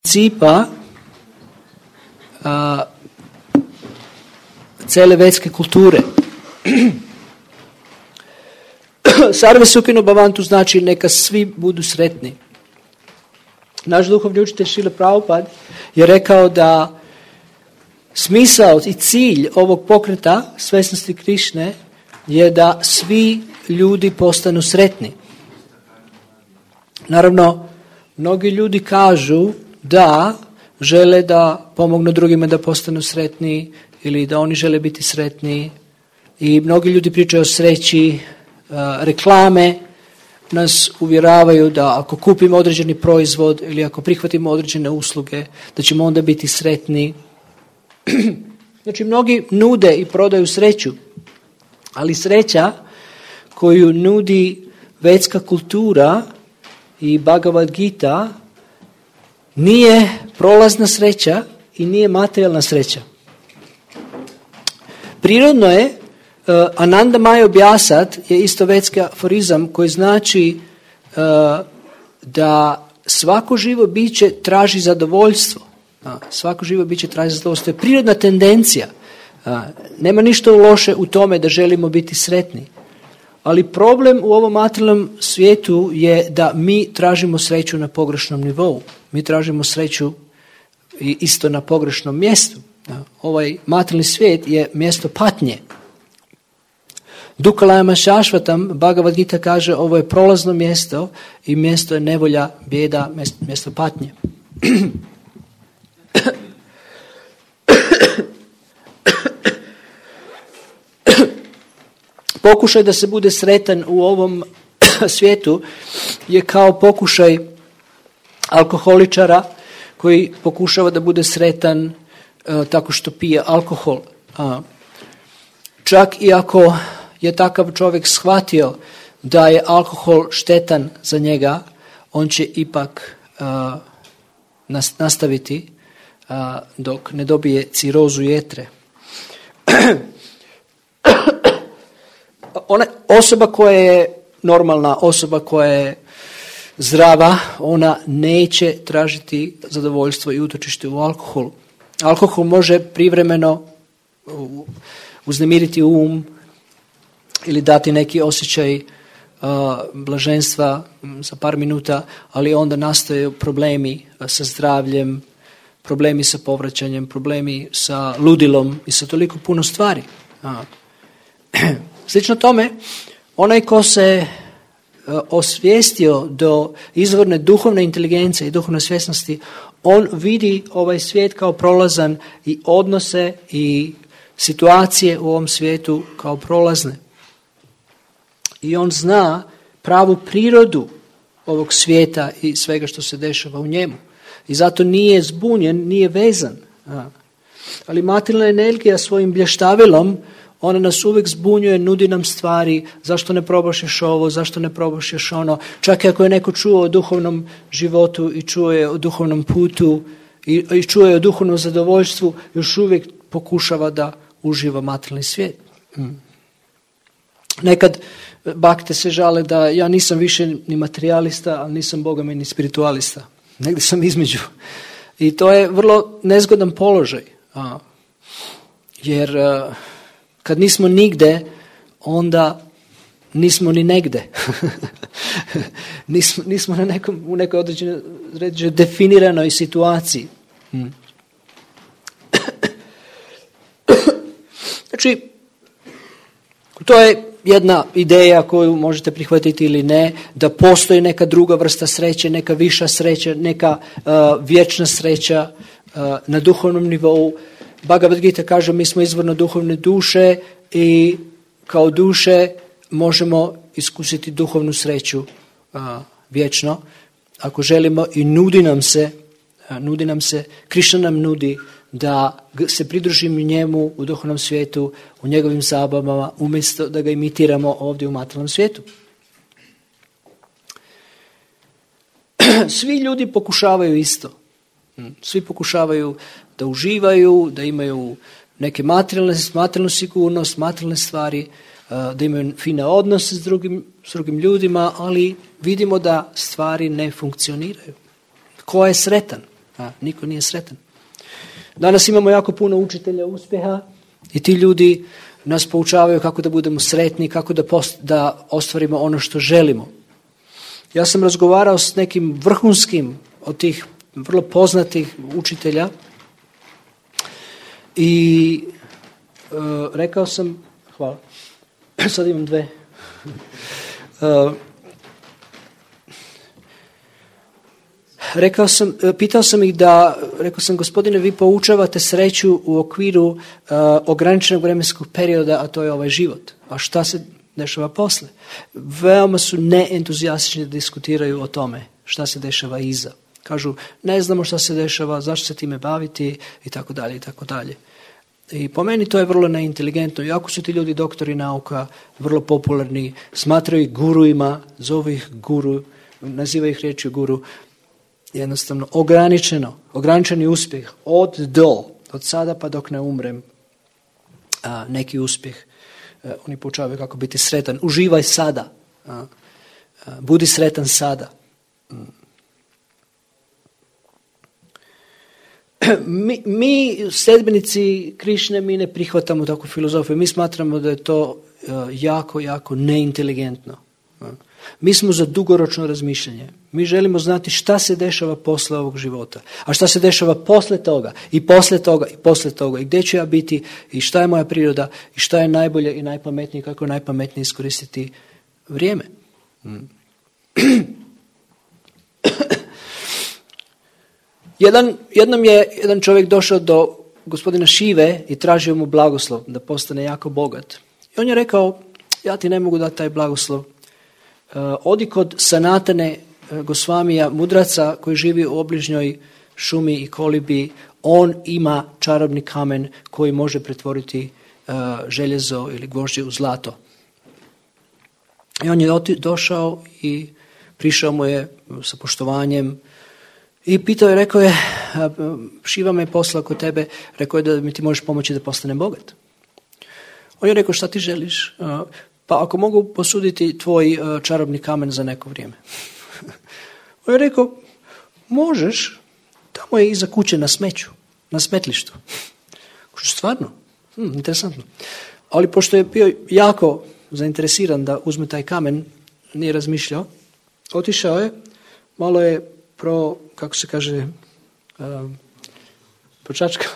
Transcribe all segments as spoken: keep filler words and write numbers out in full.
principa a, cele vedske kulture. Sarve Sukhino Bhavantu znači neka svi budu sretni. Naš duhovni učitelj Šrila Prabhupada je rekao da smisao i cilj ovog pokreta svesnosti Krišne je da svi ljudi postanu sretni. Naravno, mnogi ljudi kažu da žele da pomognu drugima da postanu sretni ili da oni žele biti sretni. I mnogi ljudi pričaju o sreći, reklame nas uvjeravaju da ako kupimo određeni proizvod ili ako prihvatimo određene usluge, da ćemo onda biti sretni. Znači, mnogi nude i prodaju sreću, ali sreća koju nudi vedska kultura i Bhagavad Gita nije prolazna sreća i nije materijalna sreća. Prirodno je, uh, Ananda Maya objasat je isto vedski aforizam koji znači uh, da svako živo biće traži zadovoljstvo. Uh, svako živo biće traži zadovoljstvo. To je prirodna tendencija. Uh, nema ništa loše u tome da želimo biti sretni. Ali problem u ovom materijalnom svijetu je da mi tražimo sreću na pogrešnom nivou. Mi tražimo sreću isto na pogrešnom mjestu. Ovaj materijalni svijet je mjesto patnje. Dukalayama Šašvatam, Bhagavad Gita kaže, ovo je prolazno mjesto i mjesto je nevolja, bijeda, mjesto patnje. Pokušaj da se bude sretan u ovom svijetu je kao pokušaj alkoholičara koji pokušava da bude sretan uh, tako što pije alkohol. Uh, čak i ako je takav čovjek shvatio da je alkohol štetan za njega, on će ipak uh, nas, nastaviti uh, dok ne dobije cirozu jetre. Ona osoba koja je normalna, osoba koja je zdrava, ona neće tražiti zadovoljstvo i utočište u alkoholu. Alkohol može privremeno uznemiriti um ili dati neki osjećaj uh, blaženstva za par minuta, ali onda nastaju problemi sa zdravljem, problemi sa povraćanjem, problemi sa ludilom i sa toliko puno stvari. Uh. Slično tome, onaj ko se uh, osvijestio do izvorne duhovne inteligencije i duhovne svjesnosti, on vidi ovaj svijet kao prolazan i odnose i situacije u ovom svijetu kao prolazne. I on zna pravu prirodu ovog svijeta i svega što se dešava u njemu. I zato nije zbunjen, nije vezan. Uh. Ali materijalna energija svojim blještavilom, ona nas uvijek zbunjuje, nudi nam stvari, zašto ne probaš još ovo, zašto ne probaš još ono. Čak i ako je neko čuo o duhovnom životu i čuo je o duhovnom putu i, i čuo je o duhovnom zadovoljstvu, još uvijek pokušava da uživa materijalni svijet. Hmm. Nekad bakte se žale da ja nisam više ni materijalista, ali nisam bogami ni spiritualista. Negdje sam između. I to je vrlo nezgodan položaj. A, jer a, kad nismo nigde, onda nismo ni negde. nismo, nismo na nekom, u nekoj određenoj definiranoj situaciji. Hmm. Znači, to je jedna ideja koju možete prihvatiti ili ne, da postoji neka druga vrsta sreće, neka viša sreća, neka uh, vječna sreća uh, na duhovnom nivou. Bhagavad Gita kaže, mi smo izvorno duhovne duše i kao duše možemo iskusiti duhovnu sreću uh, vječno. Ako želimo i nudi nam se, uh, nudi nam se, Krišna nam nudi da se pridružimo njemu u duhovnom svijetu, u njegovim zabavama, umjesto da ga imitiramo ovdje u materijalnom svijetu. Svi ljudi pokušavaju isto. Svi pokušavaju da uživaju, da imaju neke materijalne, materijalnu sigurnost, materijalne stvari, da imaju fine odnose s drugim, s drugim ljudima, ali vidimo da stvari ne funkcioniraju. Ko je sretan? A, niko nije sretan. Danas imamo jako puno učitelja uspjeha i ti ljudi nas poučavaju kako da budemo sretni, kako da, post, da ostvarimo ono što želimo. Ja sam razgovarao s nekim vrhunskim od tih vrlo poznatih učitelja i uh, rekao sam, hvala, sad imam dve, uh, rekao sam, pitao sam ih da, rekao sam, gospodine, vi poučavate sreću u okviru uh, ograničenog vremenskog perioda, a to je ovaj život. A šta se dešava posle? Veoma su neentuzijastični da diskutiraju o tome šta se dešava iza. Kažu, ne znamo šta se dešava, zašto se time baviti i tako dalje i tako dalje. I po meni to je vrlo neinteligentno. Iako su ti ljudi doktori nauka, vrlo popularni, smatraju ih guruima, zovu ih guru, nazivaju ih riječju guru, jednostavno ograničeno, ograničeni uspjeh od do, od sada pa dok ne umrem, a, neki uspjeh. A, oni poučavaju kako biti sretan. Uživaj sada. A, a, budi sretan sada. Mi, mi sljedbenici Krišne, mi ne prihvatamo takvu filozofiju. Mi smatramo da je to uh, jako, jako neinteligentno. Uh. Mi smo za dugoročno razmišljanje. Mi želimo znati šta se dešava posle ovog života. A šta se dešava posle toga i posle toga i posle toga. I gdje ću ja biti i šta je moja priroda i šta je najbolje i najpametnije, kako je najpametnije iskoristiti vrijeme. Mm. Jedan, jednom je jedan čovjek došao do gospodina Šive i tražio mu blagoslov da postane jako bogat. I on je rekao, ja ti ne mogu dati taj blagoslov. Uh, odi kod Sanatane uh, Gosvamija, mudraca koji živi u obližnjoj šumi i kolibi. On ima čarobni kamen koji može pretvoriti uh, željezo ili gvožđe u zlato. I on je oti, došao i prišao mu je sa poštovanjem i pitao je, rekao je, Šiva me poslao kod tebe, rekao je da mi ti možeš pomoći da postanem bogat. On je rekao, šta ti želiš? Pa ako mogu posuditi tvoj čarobni kamen za neko vrijeme. On je rekao, možeš, tamo je iza kuće na smeću, na smetlištu. Stvarno? Hm, interesantno. Ali pošto je bio jako zainteresiran da uzme taj kamen, nije razmišljao, otišao je, malo je pro, kako se kaže, um, počačkao,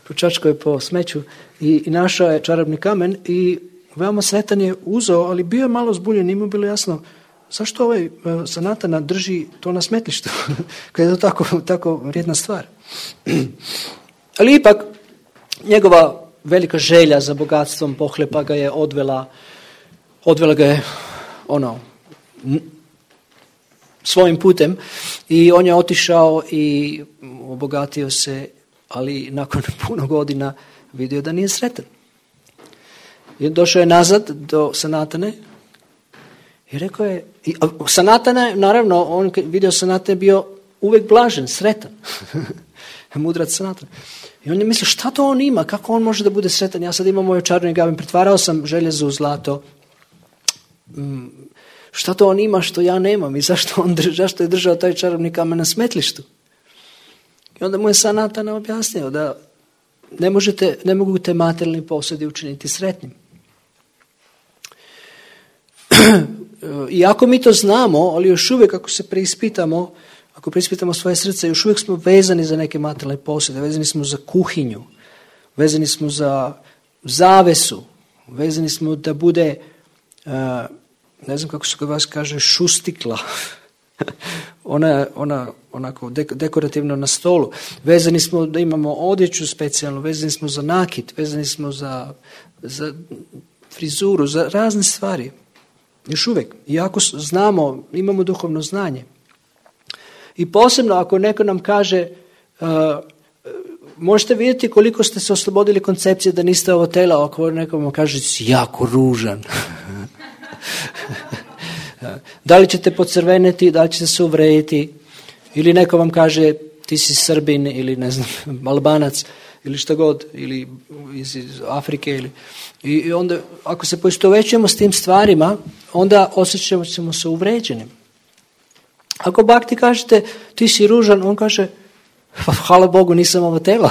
počačkao je po smeću i, i našao je čarobni kamen i veoma sretan je uzeo, ali bio je malo zbunjen, nije mu bilo jasno zašto ovaj uh, Sanatana drži to na smetlištu, kada je to tako, tako vrijedna stvar. Ali ipak, njegova velika želja za bogatstvom pohlepa ga je odvela, odvela ga je ono, svojim putem i on je otišao i obogatio se, ali nakon puno godina vidio da nije sretan. I došao je nazad do Sanatane i rekao je, i Sanatana, naravno, on vidio Sanatane bio uvijek blažen, sretan. Mudrac Sanatana. I on je mislio, šta to on ima, kako on može da bude sretan, ja sad imam moju čarobni kamen, pretvarao sam željezo u zlato, mm, šta to on ima što ja nemam i zašto, on drž, zašto je držao taj čarobni kamen na smetlištu. I onda mu je Sanatana objasnio da ne, možete, ne mogu te materijalni posjedi učiniti sretnim. Iako mi to znamo, ali još uvijek ako se preispitamo, ako preispitamo svoje srce, još uvijek smo vezani za neke materijalne posjede, vezani smo za kuhinju, vezani smo za zavesu, vezani smo da bude, uh, ne znam kako se kod vas kaže, šustikla, ona, ona onako dekorativno na stolu, vezani smo da imamo odjeću specijalnu, vezani smo za nakit, vezani smo za, za frizuru, za razne stvari. Još uvijek, iako znamo, imamo duhovno znanje. I posebno ako neko nam kaže, uh, možete vidjeti koliko ste se oslobodili koncepcije da niste ovo tela, ako neko vam kaže, si jako ružan. Da li ćete pocrveneti, da li ćete se uvrediti, ili neko vam kaže, ti si Srbin, ili ne znam, Albanac, ili šta god, ili iz, iz Afrike. Ili, i, I onda, ako se poistovjećujemo s tim stvarima, onda osjećamo ćemo se uvređenim. Ako Bhakti kažete, ti si ružan, on kaže, Pa hvala Bogu nisam ovo telo.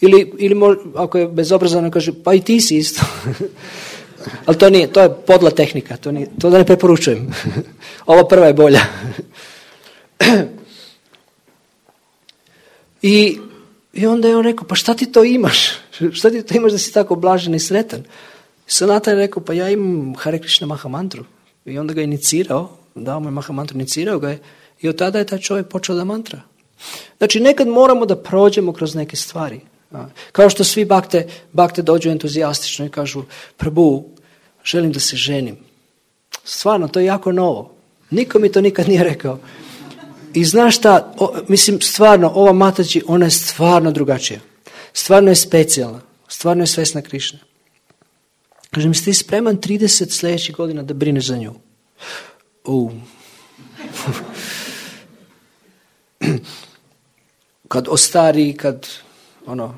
ili, ili mo, ako je bezobrazano kaže, pa i ti si isto. Ali to nije, to je podla tehnika, to, nije, to da ne preporučujem. Ova prva je bolja. I, I onda je on rekao, pa šta ti to imaš? Šta ti to imaš da si tako blažen i sretan? Sanatan je rekao, pa ja imam Hare Krishna Maha mantru. I onda ga je inicirao, dao mu je Maha mantru, inicirao ga je. I od tada je taj čovjek počeo da mantra. Znači, nekad moramo da prođemo kroz neke stvari. Kao što svi bakte, bakte dođu entuzijastično i kažu, Prabhu, želim da se ženim. Stvarno, to je jako novo. Niko mi to nikad nije rekao. I znaš šta, o, mislim, stvarno, ova Mataji, ona je stvarno drugačija. Stvarno je specijalna. Stvarno je svesna Krišne. Kažem, jesi ti spreman trideset sljedećih godina da brineš za nju? Uh. Kad ostari, kad ono,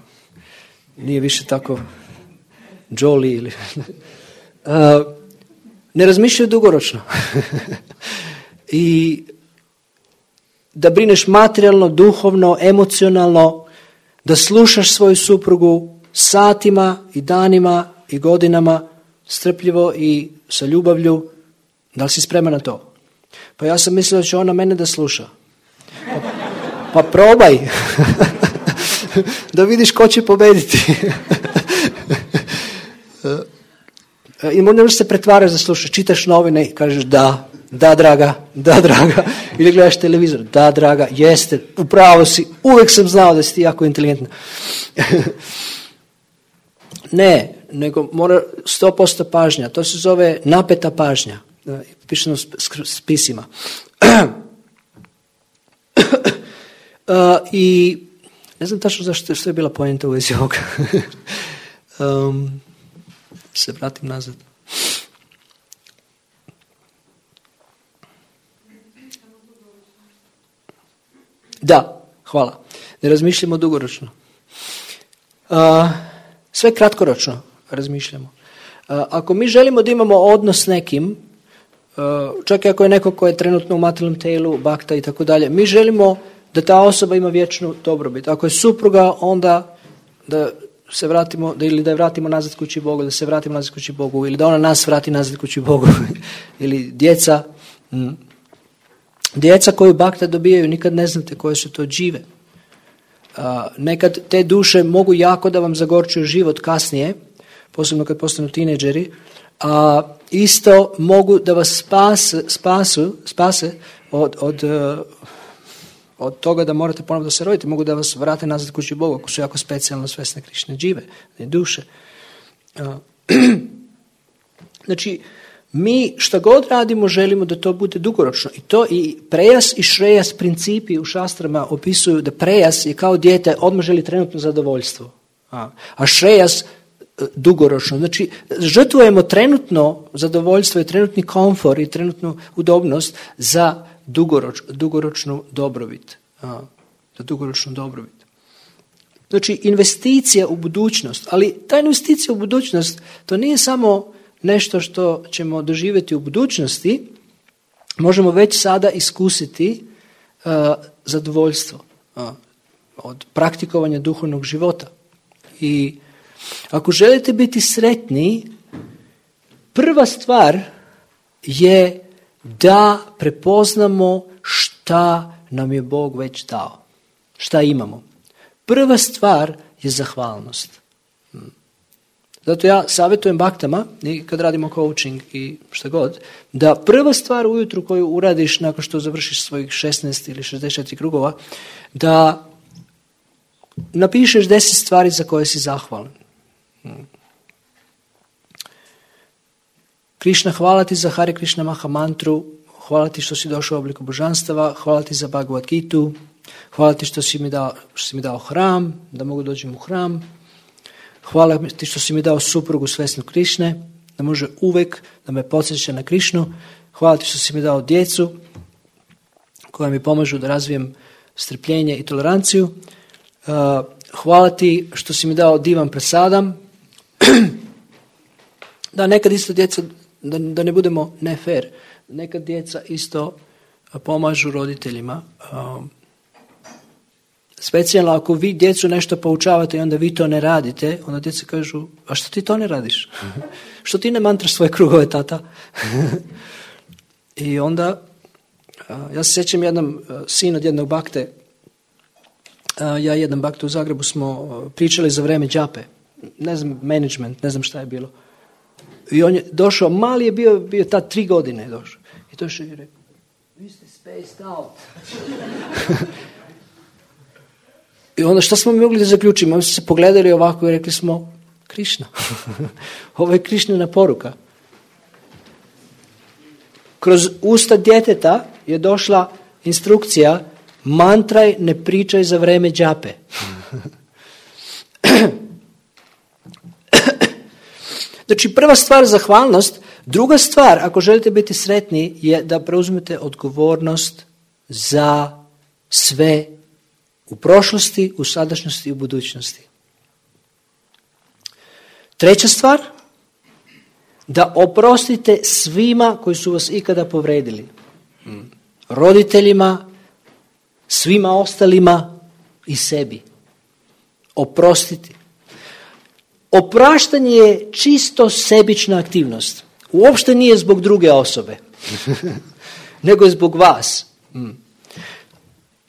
nije više tako jolly ili... Uh, ne razmišljaju dugoročno. I da brineš materijalno, duhovno, emocionalno, da slušaš svoju suprugu satima i danima i godinama, strpljivo i sa ljubavlju. Da li si spreman na to? Pa ja sam mislio da će ona mene da sluša. Pa, pa probaj. Da vidiš ko će pobediti. I možeš se pretvaraš da slušaš. Čitaš novine i kažeš da, da draga, da draga. Ili gledaš televizor, da draga, jeste, upravo si, uvijek sam znao da si ti jako inteligentna. Ne, nego mora sto posto pažnja. To se zove napeta pažnja. Piše na spisima. uh, I ne znam tačno zašto što je bila poenta u vezi ovoga. um, se vratim nazad. Da, hvala. Ne razmišljamo dugoročno. Uh, sve kratkoročno razmišljamo. Uh, ako mi želimo da imamo odnos s nekim, uh, čak i ako je neko ko je trenutno u materijalnom telu, bakta i tako dalje, mi želimo da ta osoba ima vječnu dobrobit. Ako je supruga, onda da se vratimo, da ili da je vratimo nazad kući Bogu, da se vratimo nazad kući Bogu, ili da ona nas vrati nazad kući Bogu. Ili djeca. Mm. Djeca koju bakta dobijaju, nikad ne znate koje su to džive. Uh, nekad te duše mogu jako da vam zagorčuju život kasnije, posebno kad postanu tineđeri, a uh, isto mogu da vas spas, spasu, spase od, od, uh, od toga da morate ponovno da se rodite, mogu da vas vrate nazad kući Bogu, ako su jako specijalno svesne Krišne džive, duše. Uh, znači, mi šta god radimo želimo da to bude dugoročno. I to i prejas i šrejas principi u šastrama opisuju da prejas je kao dijete odmah želi trenutno zadovoljstvo. A, a šrejas dugoročno. Znači, žrtvujemo trenutno zadovoljstvo i trenutni komfor i trenutnu udobnost za dugoroč, dugoročnu dobrobit. A, za dugoročnu dobrobit. Znači, investicija u budućnost. Ali ta investicija u budućnost, to nije samo nešto što ćemo doživjeti u budućnosti, možemo već sada iskusiti uh, zadovoljstvo uh, od praktikovanja duhovnog života. I ako želite biti sretni, prva stvar je da prepoznamo šta nam je Bog već dao. Šta imamo. Prva stvar je zahvalnost. Zato ja savjetujem baktama, i kad radimo coaching i šta god, da prva stvar ujutru koju uradiš nakon što završiš svojih šesnaest ili šezdeset četiri krugova, da napišeš deset stvari za koje si zahvalan. Krišna, hvala ti za Hare Krishna Maha mantru, hvala ti što si došao u obliku božanstava, hvala ti za Bhagavad Gitu, hvala ti što si mi dao, što si mi dao hram, da mogu doći u hram. Hvala ti što si mi dao suprugu svesnu Krišne, da može uvek da me podsjeća na Krišnu. Hvala ti što si mi dao djecu koja mi pomažu da razvijem strpljenje i toleranciju. Hvala ti što si mi dao divan prasadam. Da, nekad isto djeca, da, da ne budemo ne fair, nekad djeca isto pomažu roditeljima. Specijalno ako vi djecu nešto poučavate i onda vi to ne radite, onda djeca kažu, a što ti to ne radiš? Što ti ne mantraš svoje krugove, tata? I onda, ja se sjećam jednom, sin od jednog bakte, ja i jedan bakte u Zagrebu smo pričali za vreme džape, ne znam, management, ne znam šta je bilo. I on je došao, mali je bio, bio tad tri godine je došao. I došao i rekao, vi ste spaced out. I onda što smo mogli da zaključimo? Mi smo se pogledali ovako i rekli smo, Krišna. Ovo je Krišnina poruka. Kroz usta djeteta je došla instrukcija, mantraj, ne pričaj za vreme džape. Znači, prva stvar zahvalnost, druga stvar, ako želite biti sretni, je da preuzmete odgovornost za sve u prošlosti, u sadašnjosti i u budućnosti. Treća stvar, da oprostite svima koji su vas ikada povredili. Roditeljima, svima ostalima i sebi. Oprostiti. Opraštanje je čisto sebična aktivnost. Uopšte nije zbog druge osobe, nego je zbog vas.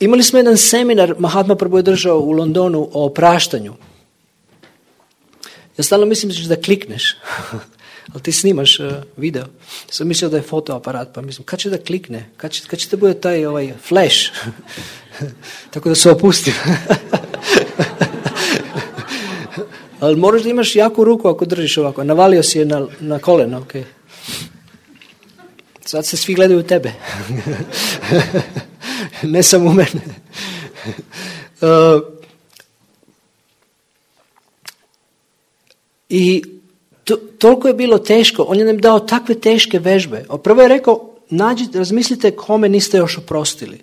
Imali smo jedan seminar, Mahatma Prabhu je držao u Londonu o opraštanju. Ja stalno mislim da ćeš da klikneš, ali ti snimaš uh, video. Sam mislio da je fotoaparat, pa mislim, kad će da klikne? Kad će, kad će da bude taj ovaj, flash? Tako da se opustim. Ali moraš da imaš jaku ruku ako držiš ovako. Navalio si je na, na koleno. Okay. Sad se svi gledaju u tebe. Ne samo u mene. Uh, I to, toliko je bilo teško. On je nam dao takve teške vežbe. Prvo je rekao, nađite, razmislite kome niste još oprostili.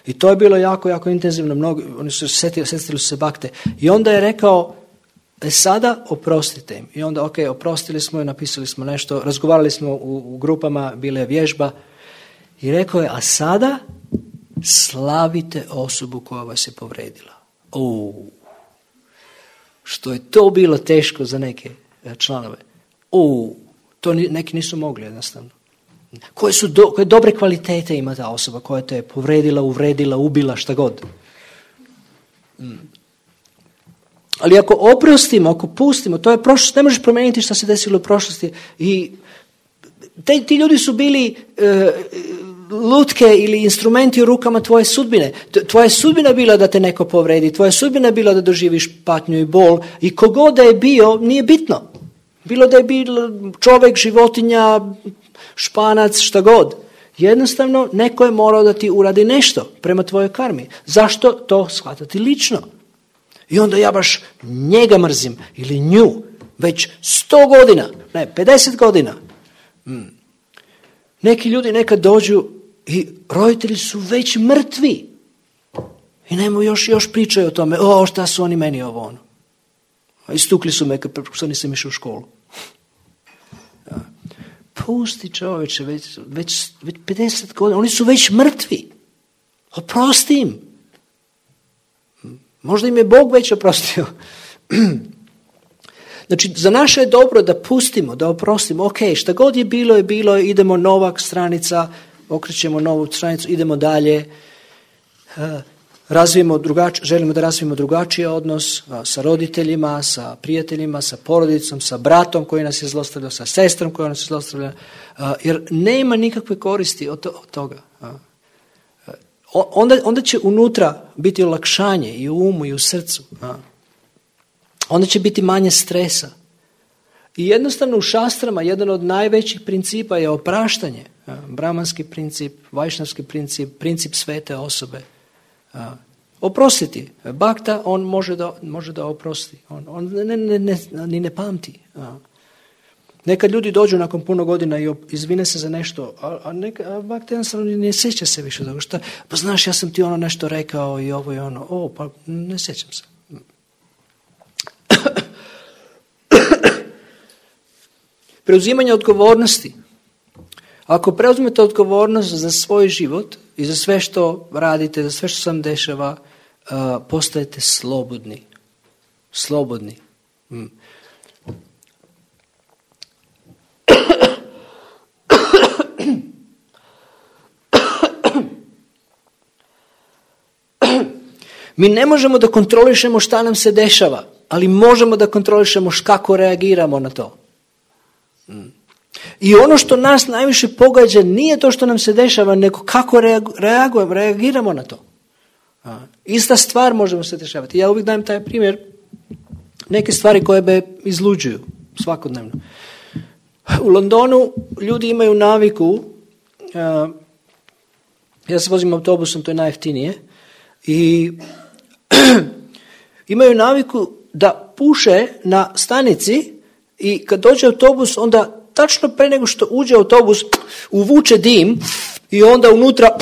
I to je bilo jako, jako intenzivno. Mnogi, oni su setili, setili su se bakte. I onda je rekao, e sada oprostite im. I onda, ok, oprostili smo i napisali smo nešto. Razgovarali smo u, u grupama, bila je vježba. I rekao je, a sada slavite osobu koja vas je povredila. O, što je to bilo teško za neke članove. O, to neki nisu mogli jednostavno. Koje su do, koje dobre kvalitete ima ta osoba koja te je povredila, uvredila, ubila, šta god. Mm. Ali ako oprostimo, ako pustimo, to je prošlost, ne možeš promijeniti što se desilo u prošlosti. I te, ti ljudi su bili e, lutke ili instrumenti u rukama tvoje sudbine. Tvoja sudbina bila da te neko povredi, tvoja sudbina bila da doživiš patnju i bol i kogod da je bio, nije bitno. Bilo da je bilo čovjek, životinja, španac, šta god. Jednostavno, neko je morao da ti uradi nešto prema tvojoj karmi. Zašto to shvatati lično? I onda ja baš njega mrzim ili nju već sto godina, ne, pedeset godina. Hmm. Neki ljudi nekad dođu i roditelji su već mrtvi. I nemo još, još pričaju o tome, o šta su oni meni ovo ono. Istukli su me što nisam išao u školu. Ja. Pusti čoveče, već, već, već pedeset godina, oni su već mrtvi. Oprosti im. Možda im je Bog već oprostio. Znači, za naše je dobro da pustimo, da oprostimo. Ok, šta god je bilo, je bilo, idemo nova stranica, okrećemo novu stranicu, idemo dalje. Razvijemo drugač, želimo da razvijemo drugačiji odnos sa roditeljima, sa prijateljima, sa porodicom, sa bratom koji nas je zlostavljao, sa sestrom koja nas je zlostavljala. Jer nema nikakve koristi od, to, od toga. Onda, onda će unutra biti olakšanje i u umu i u srcu. Onda će biti manje stresa. I jednostavno u šastrama jedan od najvećih principa je opraštanje. Brahmanski princip, vajšnavski princip, princip svete osobe. Oprostiti. Bhakta, on može da, može da oprosti. On, on ne, ne, ne, ni ne pamti. Nekad ljudi dođu nakon puno godina i izvine se za nešto, a, a, neka, a Bhakta jednostavno ne sjeća se više toga. Šta? Pa znaš, ja sam ti ono nešto rekao i ovo i ono. O, pa ne sjećam se. Preuzimanje odgovornosti. Ako preuzmete odgovornost za svoj život i za sve što radite, za sve što se vam dešava, uh, postajete slobodni. Slobodni. Mm. Mi ne možemo da kontrolišemo šta nam se dešava, ali možemo da kontrolišemo kako reagiramo na to. I ono što nas najviše pogađa nije to što nam se dešava, nego kako reagujemo, reagiramo na to. Ista stvar možemo se dešavati. Ja uvijek dajem taj primjer, neke stvari koje me izluđuju svakodnevno. U Londonu ljudi imaju naviku, ja se vozim autobusom, to je najjeftinije, i imaju naviku da puše na stanici i kad dođe autobus, onda tačno pre nego što uđe autobus uvuče dim i onda unutra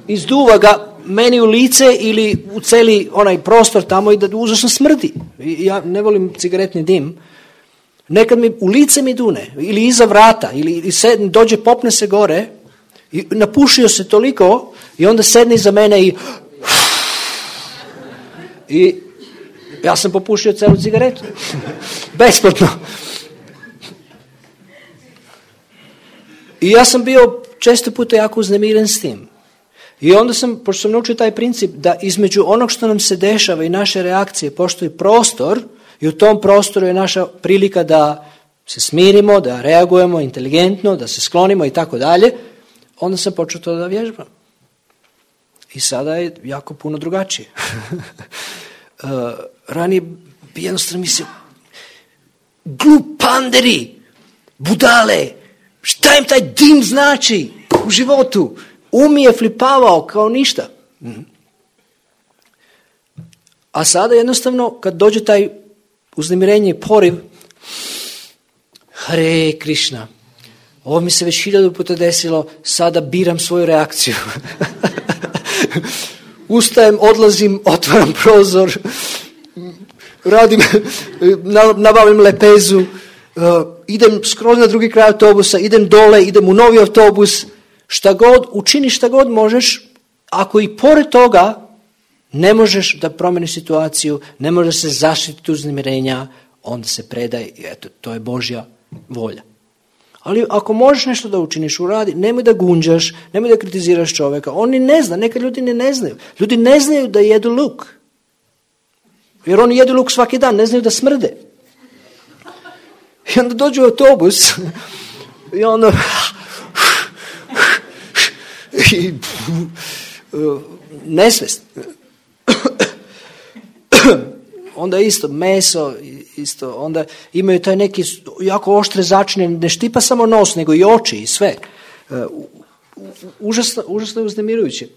izduva ga meni u lice ili u celi onaj prostor tamo i da užasno smrdi. Ja ne volim cigaretni dim. Nekad mi u lice mi dune ili iza vrata ili sedne, dođe, popne se gore i napušio se toliko i onda sedne iza mene i i ja sam popušio celu cigaretu. Besplatno. I ja sam bio često puta jako uznemiren s tim. I onda sam, pošto sam naučio taj princip da između onog što nam se dešava i naše reakcije postoji prostor i u tom prostoru je naša prilika da se smirimo, da reagujemo inteligentno, da se sklonimo i tako dalje, onda sam počeo to da vježbam. I sada je jako puno drugačije. uh, ranije bi jednostavno mislio, glupanderi, budale, šta im taj dim znači u životu? Um je flipavao kao ništa. A sada jednostavno kad dođe taj uznemirenje i poriv, Hare Krishna, ovo mi se već hiljadu puta desilo, sada biram svoju reakciju. Ustajem, odlazim, otvaram prozor, radim, nabavim lepezu, uh, idem skroz na drugi kraj autobusa, idem dole, idem u novi autobus, šta god, učini šta god možeš, ako i pored toga ne možeš da promeniš situaciju, ne možeš se zaštititi uznemirenja, onda se predaj i eto, to je Božja volja. Ali ako možeš nešto da učiniš, uradi, nemoj da gunđaš, nemoj da kritiziraš čovjeka. Oni ne zna, neka ljudi ne, ne znaju. Ljudi ne znaju da jedu luk. Jer oni jedu luk svaki dan, ne znaju da smrde. I onda dođu u autobus i onda i nesvest. Onda isto meso, isto, onda imaju taj neki jako oštre začine, ne štipa samo nos, nego i oči i sve. Užasno, užasno uznemirujuće.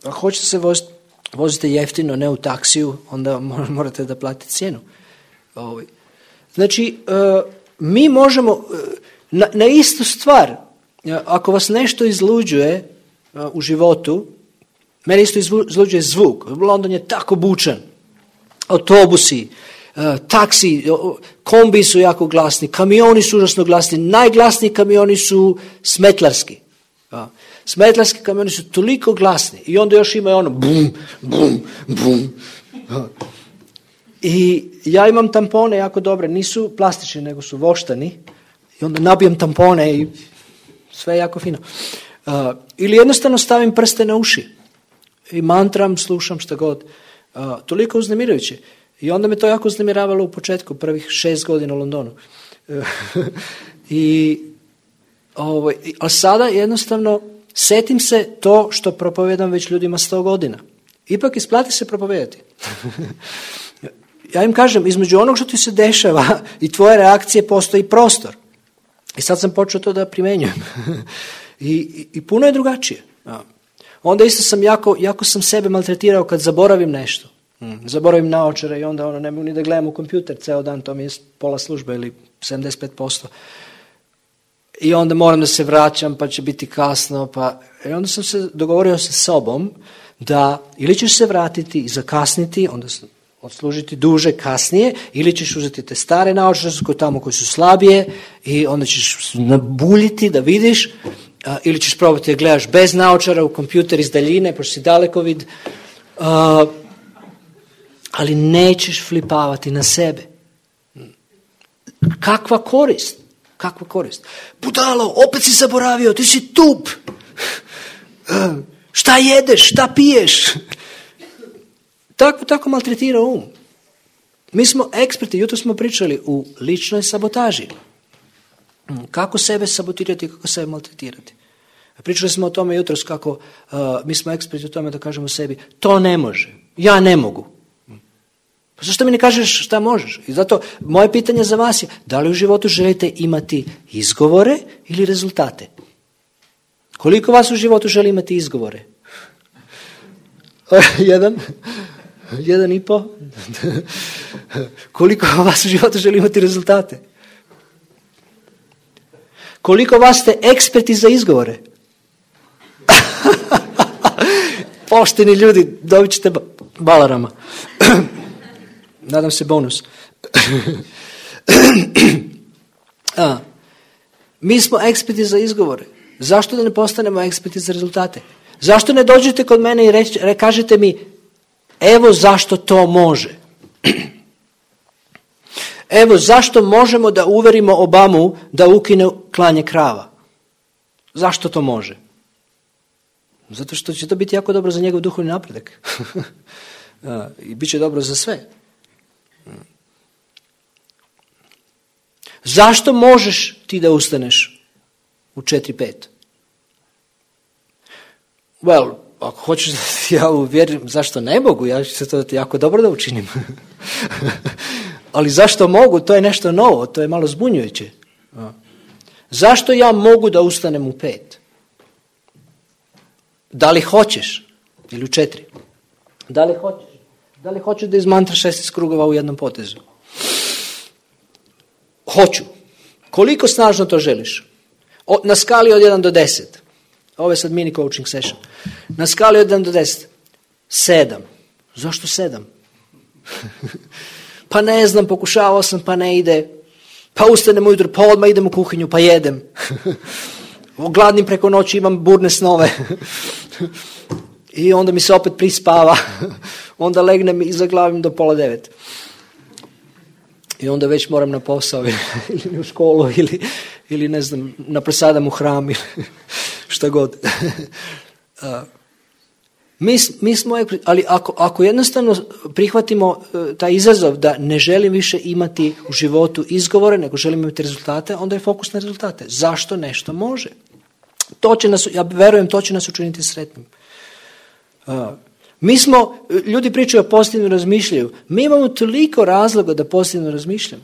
A hoćete se voziti, vozite jeftino, ne u taksiju, onda morate da platite cijenu. Znači, mi možemo, na, na istu stvar, ako vas nešto izluđuje u životu, mene isto izluđuje zvuk. London je tako bučan. Autobusi, taksi, kombi su jako glasni, kamioni su užasno glasni, najglasniji kamioni su smetlarski. Smetlarski kamioni su toliko glasni i onda još ima ono bum, bum, bum. I ja imam tampone jako dobre, nisu plastični nego su voštani i onda nabijem tampone i sve je jako fino. Uh, ili jednostavno stavim prste na uši i mantram, slušam šta god. Uh, toliko uznemirujuće. I onda me to jako uznemiravalo u početku, prvih šest godina u Londonu. Uh, I, ovo, a sada jednostavno setim se to što propovedam već ljudima sto godina. Ipak isplati se propovedati. Ja im kažem, između onog što ti se dešava i tvoje reakcije postoji prostor. I sad sam počeo to da primenjujem. I, i, i puno je drugačije. Ja. Onda isto sam jako, jako sam sebe maltretirao kad zaboravim nešto. Mm. Zaboravim naočare i onda ono, ne mogu ni da gledam u kompjuter ceo dan, to mi je pola službe ili sedamdeset pet posto. I onda moram da se vraćam, pa će biti kasno. Pa... I onda sam se dogovorio sa sobom da ili ćeš se vratiti i zakasniti, onda sam odslužiti duže kasnije, ili ćeš uzeti te stare naočare koje tamo koji su slabije i onda ćeš nabuljiti da vidiš, A, ili ćeš probati da gledaš bez naočara u kompjuter iz daljine, pošto si daleko vid. A, ali nećeš flipavati na sebe. Kakva korist? Kakva korist? Budalo, opet si zaboravio, ti si tup. Šta jedeš, šta piješ? Tako, tako maltretira um. Mi smo eksperti, jutro smo pričali u ličnoj sabotaži. Kako sebe sabotirati, kako sebe maltretirati. Pričali smo o tome jutros kako uh, mi smo eksperti u tome da kažemo sebi, to ne može, ja ne mogu. Pa zašto mi ne kažeš šta možeš? I zato moje pitanje za vas je, da li u životu želite imati izgovore ili rezultate? Koliko vas u životu želi imati izgovore? Jedan? Jedan i po? Koliko vas u životu želi imati rezultate? Koliko vas ste eksperti za izgovore? Pošteni ljudi, dobit ćete balarama. Nadam se bonus. A, mi smo eksperti za izgovore. Zašto da ne postanemo eksperti za rezultate? Zašto ne dođete kod mene i reč, re, kažete mi, evo zašto to može. Evo zašto možemo da uverimo Obamu da ukine klanje krava. Zašto to može? Zato što će to biti jako dobro za njegov duhovni napredak. I bit će dobro za sve. Zašto možeš ti da ustaneš u četiri pet? Well, ako hoćeš da ja uvjerim zašto ne mogu, ja ću se to jako dobro da učinim. Ali zašto mogu, to je nešto novo, to je malo zbunjujuće. Zašto ja mogu da ustanem u pet? Da li hoćeš? Ili u četiri? Da li hoćeš? Da li hoćeš da izmantraš šesnaest krugova u jednom potezu? Hoću. Koliko snažno to želiš? O, na skali od jedan do deset. Ovo je sad mini coaching session. Na skali od jedan do deset. sedam. Zašto sedam? Pa ne znam, pokušavao sam, pa ne ide. Pa ustanem ujutro, pa odmah idem u kuhinju, pa jedem. Gladnim preko noći, imam burne snove. I onda mi se opet prispava. Onda legnem i zaglavim do pola devet. I onda već moram na posao ili u školu ili, ili ne znam, napresadam u hram ili šta god. Mi, mi smo, ali ako, ako jednostavno prihvatimo taj izazov da ne želim više imati u životu izgovore, nego želim imati rezultate, onda je fokus na rezultate. Zašto nešto može? To će nas, ja verujem, to će nas učiniti sretnim. Mi smo, ljudi pričaju o pozitivnom razmišljaju, mi imamo toliko razloga da pozitivno razmišljamo.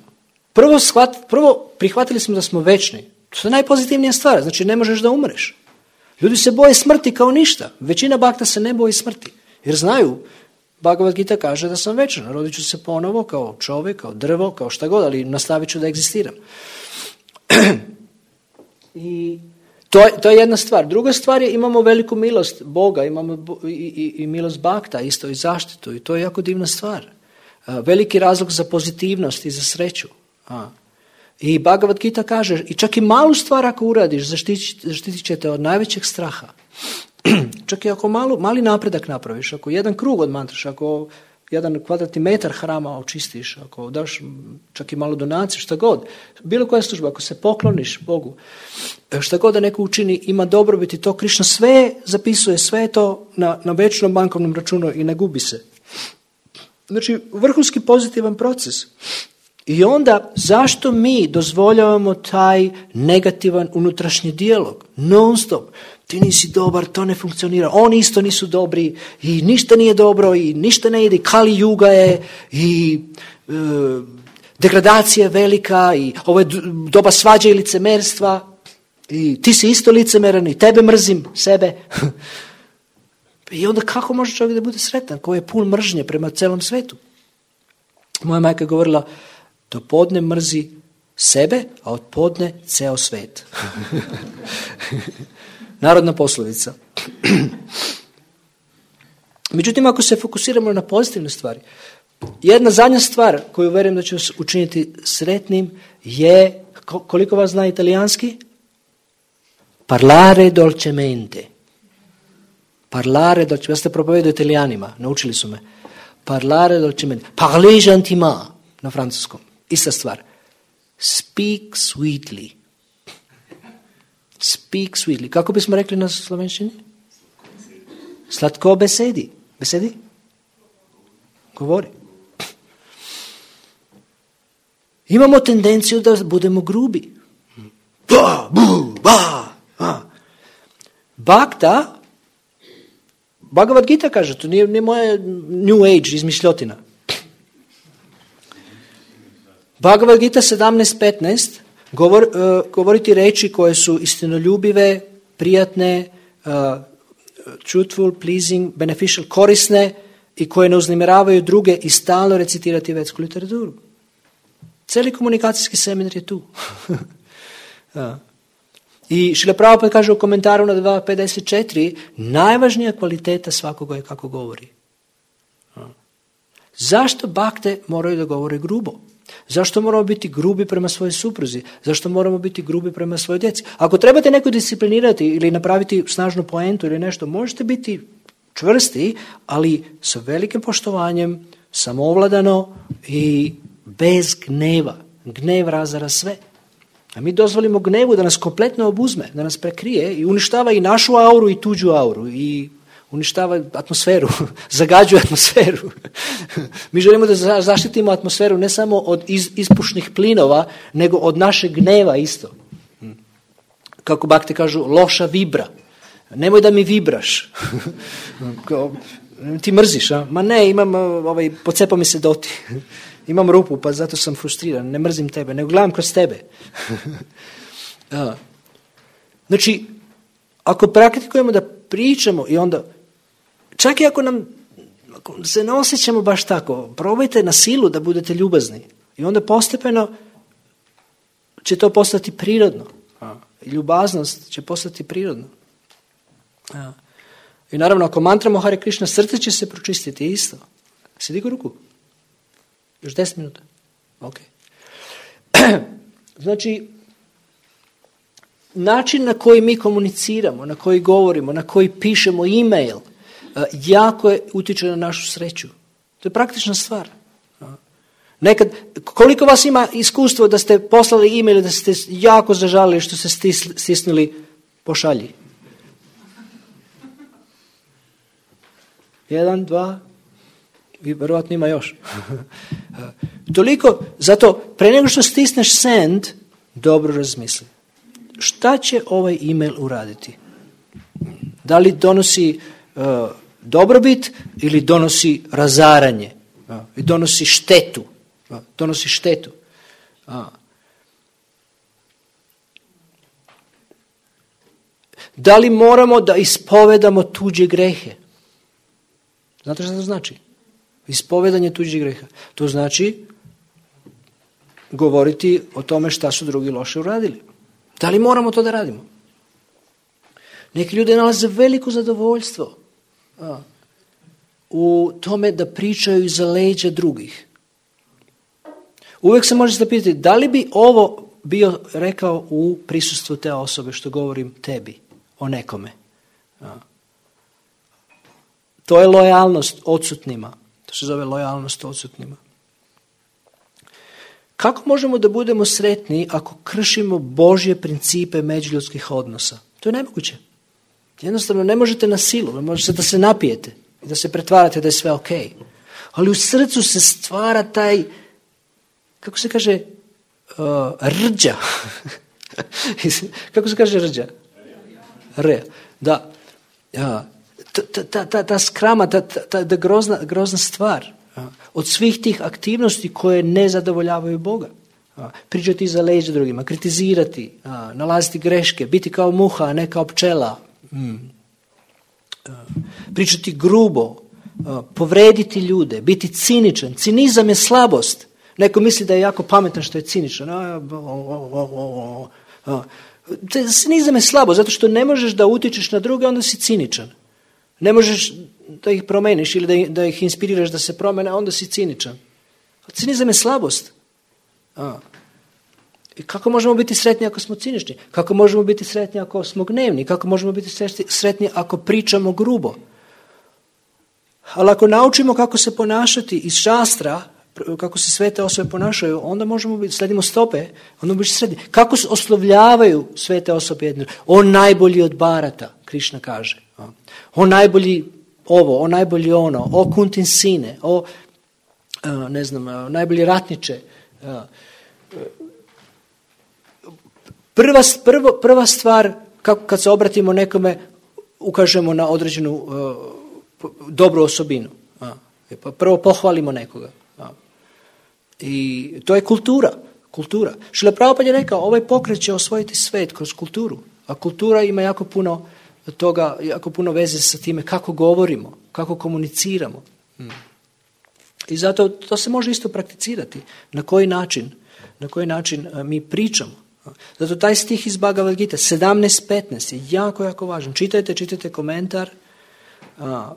Prvo, shvat, prvo prihvatili smo da smo večni. To je najpozitivnija stvar, znači ne možeš da umreš. Ljudi se boje smrti kao ništa. Većina bakta se ne boji smrti. Jer znaju, Bhagavad Gita kaže da sam večan. Rodit ću se ponovo kao čovjek, kao drvo, kao šta god, ali nastavit ću da egzistiram. I to je, to je jedna stvar. Druga stvar je imamo veliku milost Boga, imamo i, i, i milost bakta, isto i zaštitu. I to je jako divna stvar. Veliki razlog za pozitivnost i za sreću. A. I Bhagavad Gita kaže, i čak i malu stvar ako uradiš, zaštitit, zaštitit će te od najvećeg straha. Čak i ako malu, mali napredak napraviš, ako jedan krug odmantraš, ako jedan kvadratni metar hrama očistiš, ako daš čak i malo donacije, šta god, bilo koja služba, ako se pokloniš Bogu, šta god da neko učini, ima dobrobit i to Krišna sve zapisuje, sve to na, na večnom bankovnom računu i ne gubi se. Znači, vrhunski pozitivan proces. I onda, zašto mi dozvoljavamo taj negativan unutrašnji dijalog? Non stop. Ti nisi dobar, to ne funkcionira. Oni isto nisu dobri i ništa nije dobro i ništa ne ide. Kali juga je i e, degradacija je velika i ovo je doba svađa i licemerstva i ti si isto licemeran i tebe mrzim, sebe. I onda kako može čovjek da bude sretan koji je pun mržnje prema celom svetu? Moja majka je govorila, do podne mrzi sebe, a od podne ceo svet. Narodna poslovica. Međutim, ako se fokusiramo na pozitivne stvari, jedna zadnja stvar koju verujem da će vas učiniti sretnim je, koliko vas zna italijanski? Parlare dolcemente. Parlare dolcemente. Ja ste propovedo Italijanima, naučili su me. Parlare dolcemente. Parler gentiment na francuskom. Ista stvar. Speak sweetly. Speak sweetly. Kako bismo rekli na slovenščini? Slatko besedi. Besedi? Govori. Imamo tendenciju da budemo grubi. Ba, bu, ba, ba. Bhakta, Bhagavad Gita kaže, to nije, nije moja New Age izmišljotina. Bhagavad Gita sedamnaest petnaest govor, uh, govoriti reči koje su istinoljubive, prijatne, uh, truthful, pleasing, beneficial, korisne i koje ne uznemiravaju druge i stalno recitirati vetsku literaturu. Cijeli komunikacijski seminar je tu. Ja. I Šrila Prabhupada kaže u komentaru na dva pedeset četiri, najvažnija kvaliteta svakoga je kako govori. Ja. Zašto bakte moraju da govore grubo? Zašto moramo biti grubi prema svojoj supruzi? Zašto moramo biti grubi prema svojoj djeci? Ako trebate neko disciplinirati ili napraviti snažnu poentu ili nešto, možete biti čvrsti, ali sa velikim poštovanjem, samoovladano i bez gneva. Gnev razara sve. A mi dozvolimo gnevu da nas kompletno obuzme, da nas prekrije i uništava i našu auru i tuđu auru i uništava atmosferu, zagađuje atmosferu. Mi želimo da zaštitimo atmosferu ne samo od iz, ispušnih plinova, nego od našeg gneva isto. Kako bakte kažu, loša vibra. Nemoj da mi vibraš. Ti mrziš, a? Ma ne, imam, ovaj, pocepa mi se doti. Imam rupu, pa zato sam frustriran. Ne mrzim tebe, nego gledam kroz tebe. Znači, ako praktikujemo da pričamo i onda, čak i ako nam ako se ne osjećamo baš tako, probajte na silu da budete ljubazni. I onda postepeno će to postati prirodno. Ljubaznost će postati prirodno. I naravno, ako mantramo Hare Krishna, srce će se pročistiti isto. Si digo ruku? Još deset minuta. Ok. Znači, način na koji mi komuniciramo, na koji govorimo, na koji pišemo e-mail, jako je utiče na našu sreću. To je praktična stvar. Nekad, koliko vas ima iskustvo da ste poslali e-mail i da ste jako zažalili što ste stisnuli pošalji? Jedan, dva, i verovatno ima još. Toliko, zato pre nego što stisneš send, dobro razmisli. Šta će ovaj e-mail uraditi? Da li donosi uh, dobrobit ili donosi razaranje? Uh, i donosi štetu. Uh, donosi štetu. Uh. Da li moramo da ispovedamo tuđe grehe? Znate što to znači? Ispovedanje tuđih greha. To znači govoriti o tome šta su drugi loše uradili. Da li moramo to da radimo? Neki ljudi nalaze veliko zadovoljstvo a, u tome da pričaju iza leđa drugih. Uvijek se može zapitati da li bi ovo bio rekao u prisustvu te osobe što govorim tebi, o nekome. A. To je lojalnost odsutnima. To se zove lojalnost odsutnima. Kako možemo da budemo sretni ako kršimo Božje principe međuljudskih odnosa? To je nemoguće. Jednostavno ne možete na silu, možete da se napijete i da se pretvarate da je sve ok. Ali u srcu se stvara taj, kako se kaže, uh, rđa. Kako se kaže rđa? Re. Da. Ja. Ta, ta, ta, ta skrama, ta, ta, ta grozna, grozna stvar od svih tih aktivnosti koje ne zadovoljavaju Boga. Pričati iza leđa drugima, kritizirati, nalaziti greške, biti kao muha, a ne kao pčela. Pričati grubo, povrediti ljude, biti ciničan. Cinizam je slabost. Neko misli da je jako pametan što je ciničan. Cinizam je slabo, zato što ne možeš da utičeš na druge, onda si ciničan. Ne možeš da ih promeniš ili da ih, da ih inspiriraš da se promene, onda si ciničan. Cinizam je slabost. A. I kako možemo biti sretni ako smo cinični? Kako možemo biti sretni ako smo gnevni? Kako možemo biti sretni ako pričamo grubo? Ali ako naučimo kako se ponašati iz šastra, kako se svete osobe ponašaju, onda možemo biti, sledimo stope, onda možemo biti sretni. Kako se oslovljavaju svete osobe jedne? On najbolji od barata, Krišna kaže. On najbolji ovo, on najbolji ono, o Kuntin sine, o, ne znam, najbolji ratniče. Prva, prvo, prva stvar, kako, kad se obratimo nekome, ukažemo na određenu uh, dobru osobinu. A, pa prvo pohvalimo nekoga. A. I to je kultura. kultura. Šrila Prabhupada je rekao, ovaj pokret će osvojiti svet kroz kulturu. A kultura ima jako puno toga, jako puno veze sa time kako govorimo, kako komuniciramo. Hmm. I zato to se može isto prakticirati. Na koji način, na koji način uh, mi pričamo. Zato taj stih iz Bhagavad Gita, sedamnaest petnaest, je jako, jako važan. Čitajte, čitajte komentar, a,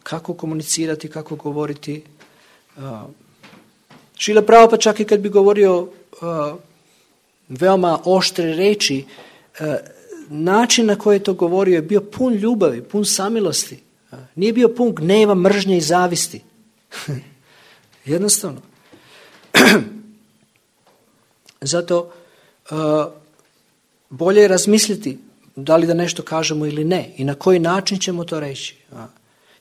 kako komunicirati, kako govoriti. A, Šrila Prabhupada čak i kad bi govorio a, veoma oštre reči, a, način na koji je to govorio je bio pun ljubavi, pun samilosti. A, nije bio pun gneva, mržnje i zavisti. Jednostavno. Zato Uh, bolje je razmisliti da li da nešto kažemo ili ne i na koji način ćemo to reći. A.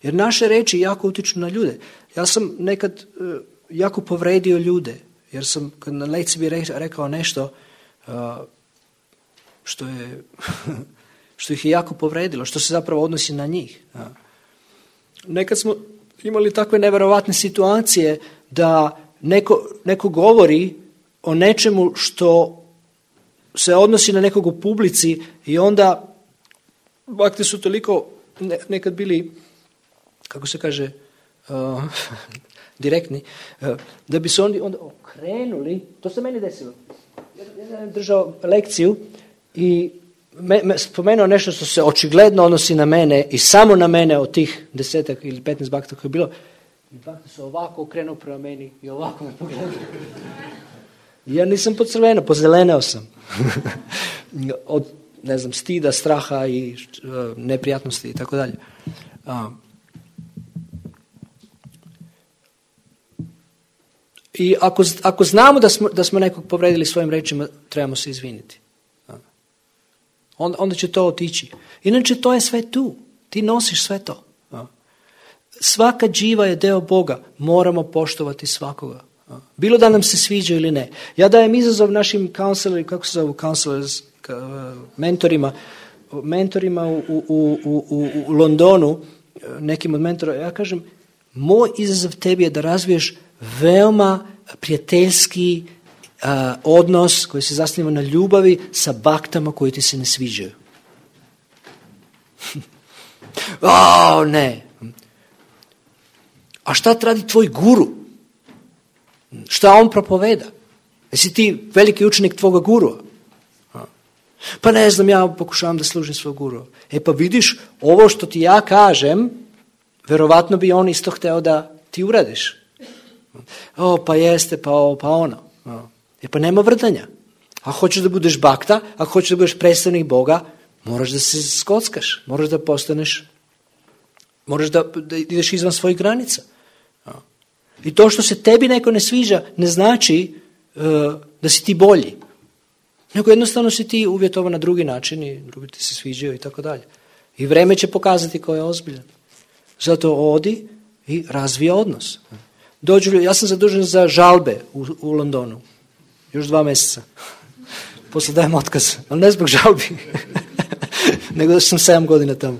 Jer naše reči jako utiču na ljude. Ja sam nekad uh, jako povredio ljude, jer sam na lekciji bi re, rekao nešto uh, što je što ih je jako povredilo, što se zapravo odnosi na njih. A. Nekad smo imali takve neverovatne situacije da neko, neko govori o nečemu što se odnosi na nekog u publici i onda bakti su toliko ne, nekad bili, kako se kaže, uh, direktni, uh, da bi se oni onda okrenuli, to se meni desilo. Ja sam držao lekciju i me, me spomenuo nešto što se očigledno odnosi na mene i samo na mene od tih desetak ili petnaest bakta koje je bilo. I bakti su ovako okrenuo prema meni i ovako me pogledali. Ja nisam pocrvenio, pozeleneo sam. Od, ne znam, stida, straha i uh, neprijatnosti i tako dalje. I ako, ako znamo da smo, da smo nekog povredili svojim rečima, trebamo se izviniti. A. Onda, onda će to otići. Inače, to je sve tu. Ti nosiš sve to. A. Svaka dživa je deo Boga. Moramo poštovati svakoga. Bilo da nam se sviđa ili ne. Ja dajem izazov našim counselor, kako se zovu counselors, mentorima, mentorima u, u, u, u, u Londonu, nekim od mentora, ja kažem, moj izazov tebi je da razviješ veoma prijateljski uh, odnos koji se zasniva na ljubavi sa baktama koji ti se ne sviđaju. O, ne. A šta radi tvoj guru? Šta on propoveda? Jesi ti veliki učenik tvoga gurua? Pa ne znam, ja pokušavam da služim svog gurua. E pa vidiš, ovo što ti ja kažem, verovatno bi on isto hteo da ti uradiš. O, pa jeste, pa ovo, pa ono. E pa nema vrdanja. Ako hoćeš da budeš bakta, ako hoćeš da budeš predstavnik Boga, moraš da se skockaš, moraš da postaneš, moraš da, da ideš izvan svojih granica. I to što se tebi neko ne sviđa ne znači uh, da si ti bolji. Nego jednostavno si ti uvjetovan na drugi način i drugi ti se sviđaju i tako dalje. I vreme će pokazati ko je ozbiljan. Zato odi i razvija odnos. Dođu, ja sam zadužen za žalbe u, u Londonu. Još dva mjeseca. Posle dajem otkaz. Ali ne zbog žalbi. Nego da sam sedam godina tamo.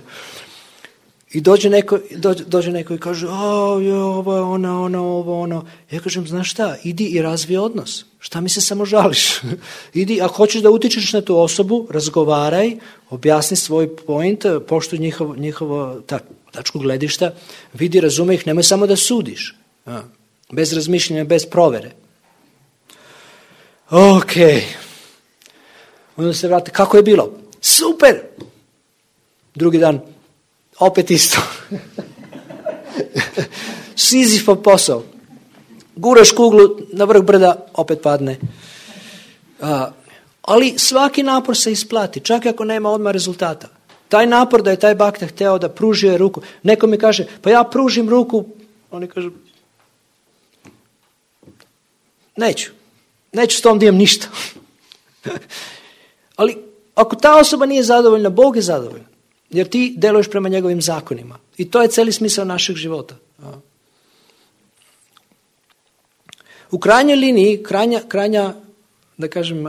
I dođe neko, dođe, dođe neko i kaže, o, jo, ovo je ono, ono, ovo, ono. Ja kažem, znaš šta, idi i razvij odnos. Šta mi se samo žališ? Idi, ako hoćeš da utičeš na tu osobu, razgovaraj, objasni svoj point, poštuj njihovo, njihovo ta, tačku gledišta, vidi, razume ih, nemoj samo da sudiš. A, bez razmišljanja, bez provere. Ok. Onda se vrati, kako je bilo? Super! Drugi dan, opet isto. Sizifov posao. Guraš kuglu na vrh brda, opet padne. Ali svaki napor se isplati, čak i ako nema odmah rezultata. Taj napor da je taj bakta hteo da pružio ruku. Neko mi kaže, pa ja pružim ruku, oni kažu, neću. Neću s tom da imam ništa. Ali ako ta osoba nije zadovoljna, Bog je zadovoljan. Jer ti deluješ prema njegovim zakonima. I to je cijeli smisao našeg života. U krajnjoj liniji, krajnja, krajnja da kažem,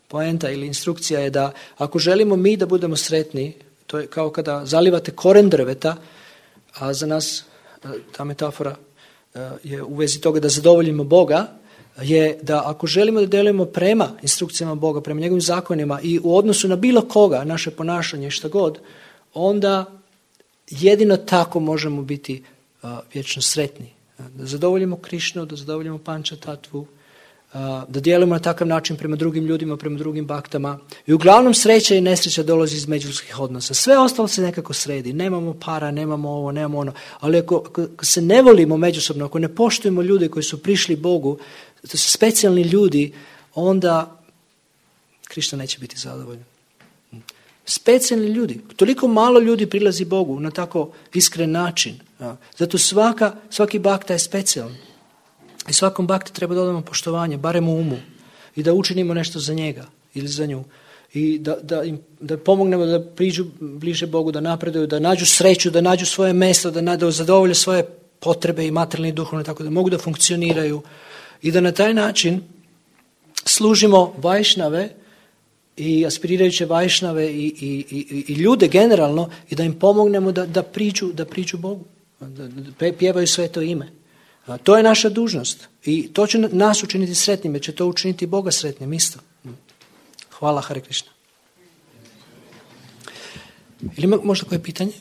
poenta ili instrukcija je da ako želimo mi da budemo sretni, to je kao kada zalivate koren drveta, a za nas ta metafora je u vezi toga da zadovoljimo Boga, je da ako želimo da delujemo prema instrukcijama Boga, prema njegovim zakonima i u odnosu na bilo koga, naše ponašanje i šta god, onda jedino tako možemo biti uh, vječno sretni. Da zadovoljimo Krišnu, da zadovoljimo Panča Tatvu, uh, da djelujemo na takav način prema drugim ljudima, prema drugim baktama. I uglavnom sreća i nesreća dolazi iz međuljudskih odnosa. Sve ostalo se nekako sredi. Nemamo para, nemamo ovo, nemamo ono. Ali ako, ako se ne volimo međusobno, ako ne poštujemo ljude koji su prišli Bogu, to su specijalni ljudi, onda Krišna neće biti zadovoljan. Specijalni ljudi. Toliko malo ljudi prilazi Bogu na tako iskren način. Zato svaka, svaki bakta je specijalan. I svakom bakti treba da dodamo poštovanje, barem u umu. I da učinimo nešto za njega ili za nju. I da, da im da pomognemo da priđu bliže Bogu, da napreduju, da nađu sreću, da nađu svoje mjesto, da, da zadovolje svoje potrebe i materijalne i duhovne, tako da mogu da funkcioniraju. I da na taj način služimo vajšnave i aspirirajuće vajšnave i, i, i, i ljude generalno i da im pomognemo da, da, priđu, da priđu Bogu, da, da pjevaju sveto ime. A to je naša dužnost i to će nas učiniti sretnim, jer će to učiniti Boga sretnim isto. Hvala, Hare Krishna. Ili ima možda koje pitanje?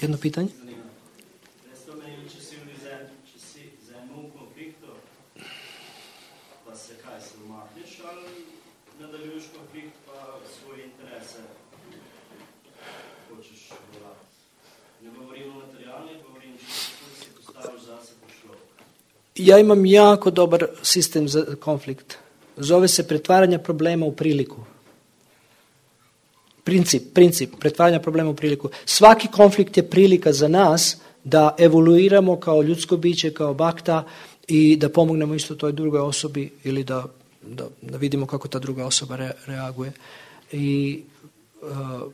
Jedno pitanje? Ja imam jako dobar sistem za konflikt. Zove se pretvaranje problema u priliku. Princip, princip pretvaranja problema u priliku. Svaki konflikt je prilika za nas da evoluiramo kao ljudsko biće, kao bakta i da pomognemo isto toj drugoj osobi ili da, da, da vidimo kako ta druga osoba re, reaguje. I uh,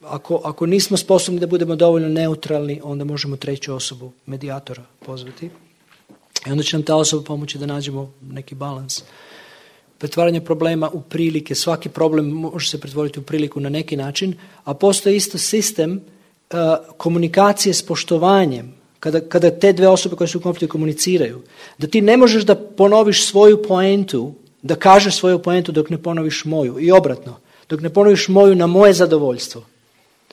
ako, ako nismo sposobni da budemo dovoljno neutralni, onda možemo treću osobu, medijatora, pozvati. I onda će nam ta osoba pomoći da nađemo neki balans. Pretvaranje problema u prilike. Svaki problem može se pretvoriti u priliku na neki način, a postoji isto sistem uh, komunikacije s poštovanjem. Kada, kada te dve osobe koje su u konfliktu komuniciraju. Da ti ne možeš da ponoviš svoju poentu, da kažeš svoju poentu dok ne ponoviš moju. I obratno. Dok ne ponoviš moju na moje zadovoljstvo.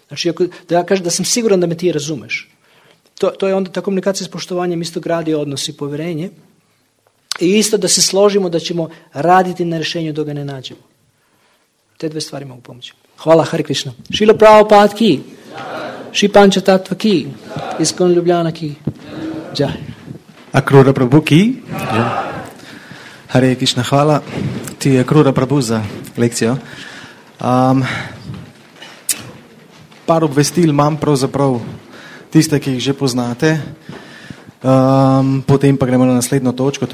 Znači, ako, da ja kažem da sam siguran da me ti razumeš. To, to je onda ta komunikacija s poštovanjem isto gradi odnos i povjerenje. I isto da se složimo da ćemo raditi na rješenju dok ga ne nađemo. Te dve stvari mogu pomoći. Hvala, Hare Krishna. Šrila Prabhupada ki. Šri Panča Tattva ki. Iskon Ljubljana ki. Jai. Akrura Prabhu ki. Hare Krishna, hvala ti, Akrura Prabhu, za lekcijo. Um, par obvestil imam pravzaprav tiste, ki jih že poznate. Um, potem pa gremo na naslednjo točko.